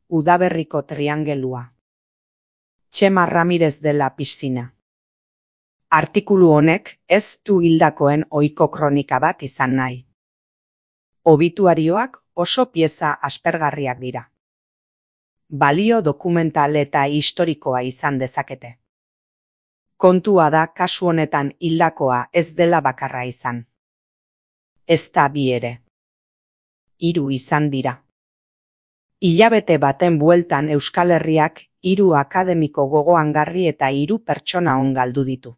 Udaberriko triangelua. Txema Ramirez de la Piscina. Artikulu honek ez du hildakoen ohiko kronika bat izan nahi. Obituarioak oso pieza aspergarriak dira. Balio dokumental eta historikoa izan dezakete. Kontua da kasu honetan hildakoa ez dela bakarra izan. Ez da bi ere. 3 izan dira. Hilabete baten bueltan Euskal Herriak 3 akademiko gogoangarri eta 3 pertsona on galdu ditu.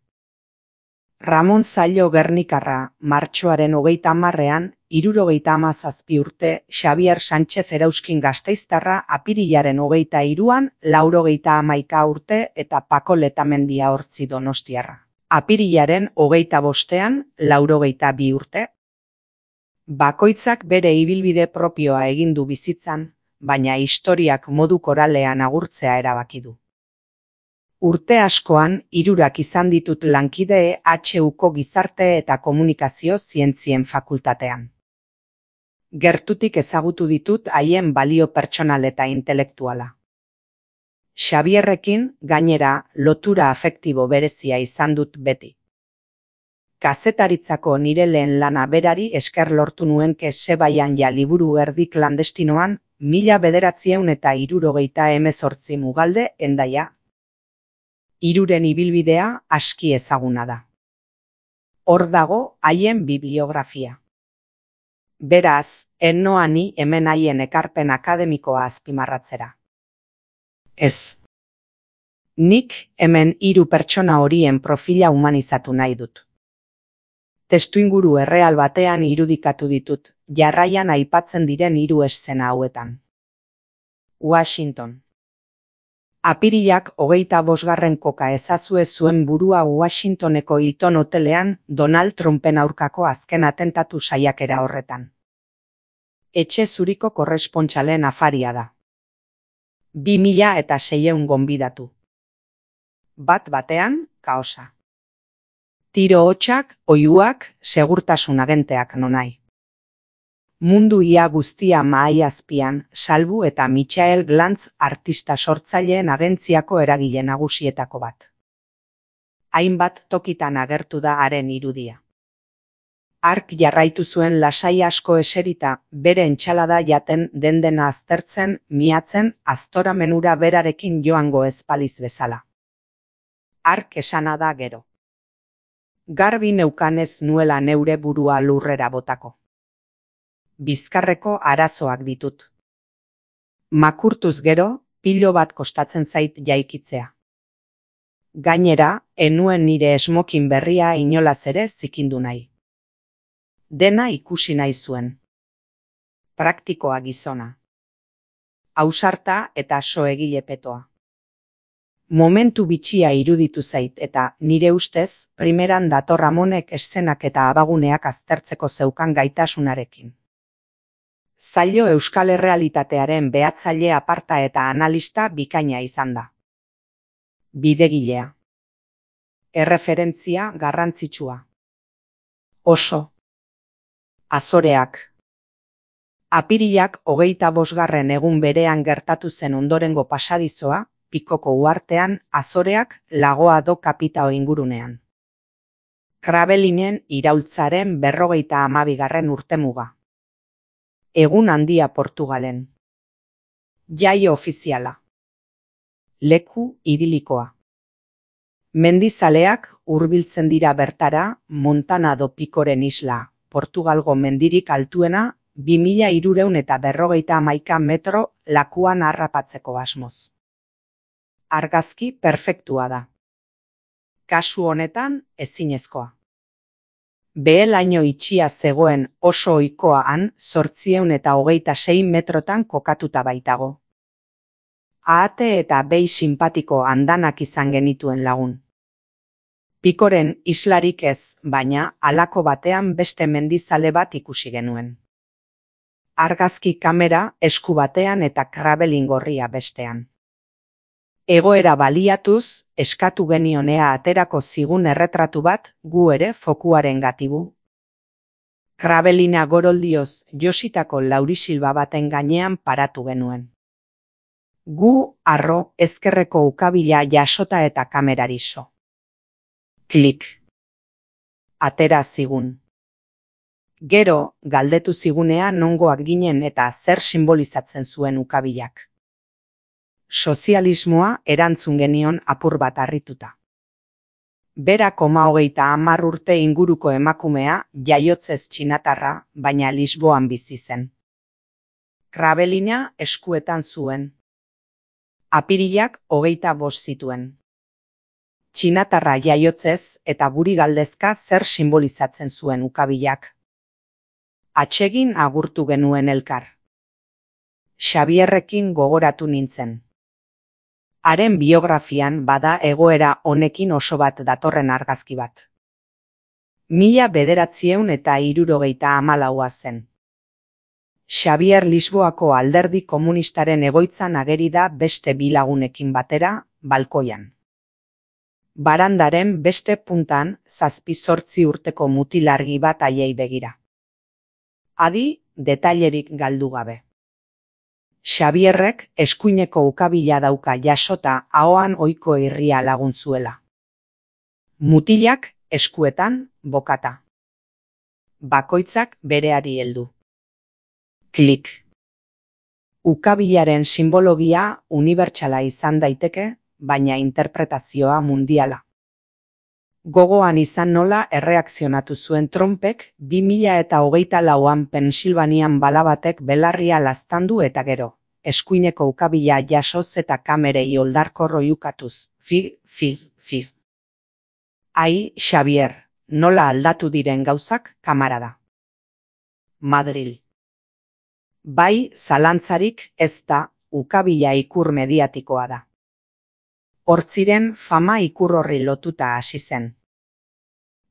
Ramon Zailo Gernikarra martxoaren 30ean, 77 urte, Xabier Sánchez Erauskin Gasteiztarra apirilaren 23an, 91 urte eta Pako Letamendia Hortzi Donostiarra. Apirilaren 25ean, 92 urte. Bakoitzak bere ibilbide propioa egin du bizitzan, baina historiak modu koralean agurtzea erabaki du. Urte askoan, 3 izan ditut lankide HUko Gizarte eta Komunikazio Zientzien Fakultatean. Gertutik ezagutu ditut haien balio pertsonal eta intelektuala. Xabierrekin, gainera, lotura afektibo berezia izan dut beti. Kazetaritzako nire lehen lana berari esker lortu nuen Sebaian ja liburu erdi klandestinoan, 1978 Mugalde, Hendaia. 3 ibilbidea aski ezaguna da. Hor dago haien bibliografia. Beraz, ennoa ni hemen haien ekarpen akademikoa azpimarratzera. Ez. Nik hemen 3 pertsona horien profila humanizatu nahi dut. Testuinguru erreal batean irudikatu ditut, jarraian aipatzen diren 3 eszena hauetan. Washington. Apirilak 25. koka ezazue zuen burua Washingtoneko Hilton hotelean Donald Trumpen aurkako azken atentatu saiakera horretan. Etxe zuriko korrespontxalen afaria da. 2600 gonbidatu. Bat batean, kaosa. Tiro hotxak, oihuak, segurtasun agenteak nonai. Mundu ia guztia mahai azpian, Salbu eta Michael Glantz artista sortzaileen agentziako eragile nagusietako bat. Hainbat tokitan agertu da haren irudia. Hark jarraitu zuen lasai asko eserita, bere entxalada jaten dendena aztertzen, miatzen, aztora menura berarekin joango ezpaliz bezala. Hark esana da gero. Garbi neukanez nuela neure burua lurrera botako. Bizkarreko arazoak ditut. Makurtuz gero, pilo bat kostatzen zait jaikitzea. Gainera, enuen nire esmokin berria inolaz ere zikindu nahi. Dena ikusi nahi zuen. Praktikoa gizona. Ausarta eta soegile petoa. Momentu bitxia iruditu zait eta nire ustez, primeran dator Ramonek eszenak eta abaguneak aztertzeko zeukan gaitasunarekin. Zailo euskal errealitatearen behatzaile aparta eta analista bikaina izan da. Bidegilea. Erreferentzia garrantzitsua. Oso. Azoreak. Apirilak 25. egun berean gertatu zen ondorengo pasadizoa, Pikoko uhartean, Azoreak, Lagoa do Kapitao ingurunean. Krabelinen iraultzaren 52. urtemuga. Egun handia Portugalen. Jai ofiziala. Leku idilikoa. Mendizaleak hurbiltzen dira bertara, Montana do Picoren isla, Portugalgo mendirik altuena, 2351 metro lakuan harrapatzeko asmoz. Argazki perfektua da. Kasu honetan ezinezkoa. Behelaino itxia zegoen oso ohikoa han 826 metrotan kokatuta baitago. Ahate eta behi sinpatiko andanak izan genituen lagun. Picoren islarik ez, baina halako batean beste mendizale bat ikusi genuen. Argazki kamera esku batean eta krabelin gorria bestean. Egoera baliatuz, eskatu genionea aterako zigun erretratu bat gu ere fokuaren gatibu. Krabelina goroldioz jositako laurisilba baten gainean paratu genuen. Gu, arro, ezkerreko ukabila jasota eta kamerariso. Klik. Atera zigun. Gero, galdetu zigunea nongoak ginen eta zer simbolizatzen zuen ukabilak. Sozialismoa erantzun genion apur bat harrituta. Bera 30 urte inguruko emakumea, jaiotzez txinatarra, baina Lisboan bizi zen. Krabelina eskuetan zuen. Apirilak 25 zituen. Txinatarra jaiotzez eta guri galdezka zer simbolizatzen zuen ukabilak. Atsegin agurtu genuen elkar. Xabierrekin gogoratu nintzen. Haren biografian bada egoera honekin oso bat datorren argazki bat. 1974 zen. Xabier Lisboako Alderdi Komunistaren egoitzan ageri da beste bi lagunekin batera, balkoian. Barandaren beste puntan 7-8 urteko mutilargi bat haiei begira. Adi, detailerik galdu gabe. Xabierrek eskuineko ukabila dauka jasota ahoan ohiko irria lagun zuela. Mutilak eskuetan bokata. Bakoitzak bereari heldu. Klik. Ukabilaren simbologia unibertsala izan daiteke, baina interpretazioa mundiala. Gogoan izan nola erreakzionatu zuen Trumpek 2024an Pensilvanian bala batek belarria laztandu eta gero, eskuineko ukabila jasoz eta kamerei oldarkor oihukatuz. Fi. Ai, Xabier, nola aldatu diren gauzak, kamarada. Madril. Bai, zalantzarik ez da, ukabila ikur mediatikoa da. Hortziren fama ikur horri lotuta hasi zen.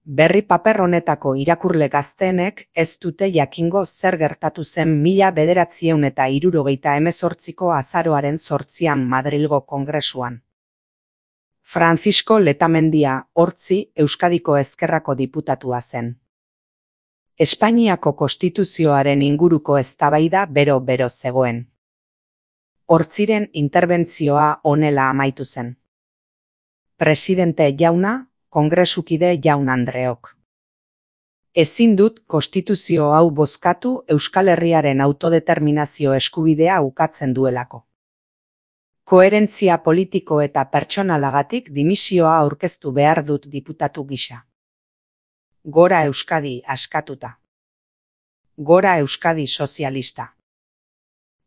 Berri paper honetako irakurle gazteenek ez dute jakingo zer gertatu zen 1978ko azaroaren 8an Madrilgo Kongresuan. Francisco Letamendia Hortzi Euskadiko Ezkerrako diputatua zen. Espainiako konstituzioaren inguruko eztabaida bero zegoen. Hortziren interbentzioa honela amaitu zen. Presidente jauna, kongresukide jaun Andreok. Ezin dut konstituzio hau bozkatu Euskal Herriaren autodeterminazio eskubidea ukatzen duelako. Koherentzia politiko eta pertsonalagatik dimisioa aurkeztu behar dut diputatu gisa. Gora Euskadi askatuta. Gora Euskadi sozialista.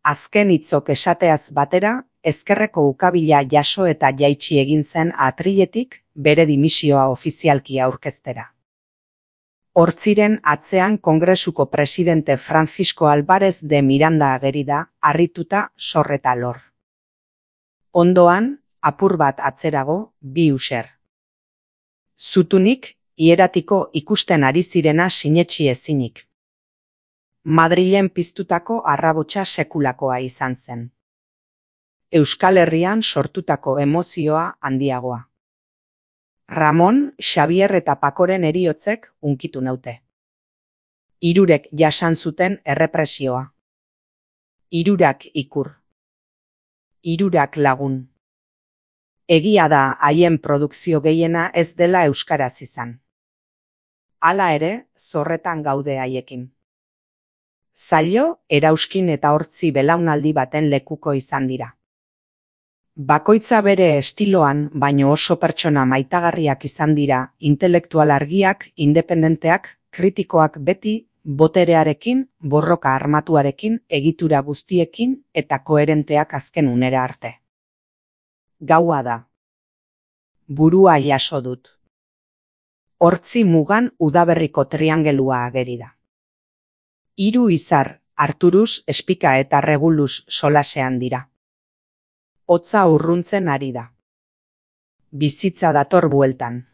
Azken hitzok esateaz batera, ezkerreko ukabila jaso eta jaitsi egin zen atriletik bere dimisioa ofizialki aurkeztera. Hortziren atzean Kongresuko presidente Francisco Álvarez de Miranda ageri da, harrituta sorreta lor. Ondoan, apur bat atzerago, bi user. Zutunik, hieratiko ikusten ari zirena sinetsi ezinik. Madrilen piztutako arrabotsa sekulakoa izan zen. Euskal Herrian sortutako emozioa handiagoa. Ramon, Xabier eta Pakoren heriotzek hunkitu naute. Hirurek jasan zuten errepresioa. Hirurak ikur. Hirurak lagun. Egia da haien produkzio gehiena ez dela euskaraz izan. Hala ere, zorretan gaude haiekin. Zailo, Erauskin eta Hortzi belaunaldi baten lekuko izan dira. Bakoitza bere estiloan, baino oso pertsona maitagarriak izan dira, intelektual argiak, independenteak, kritikoak beti, boterearekin, borroka armatuarekin, egitura guztiekin eta koherenteak azken unera arte. Gaua da. Burua jaso dut. Hortzi mugan udaberriko triangelua ageri da. Hiru izar, Arturus, Espika eta Regulus solasean dira. Hotza urruntzen ari da. Bizitza dator bueltan.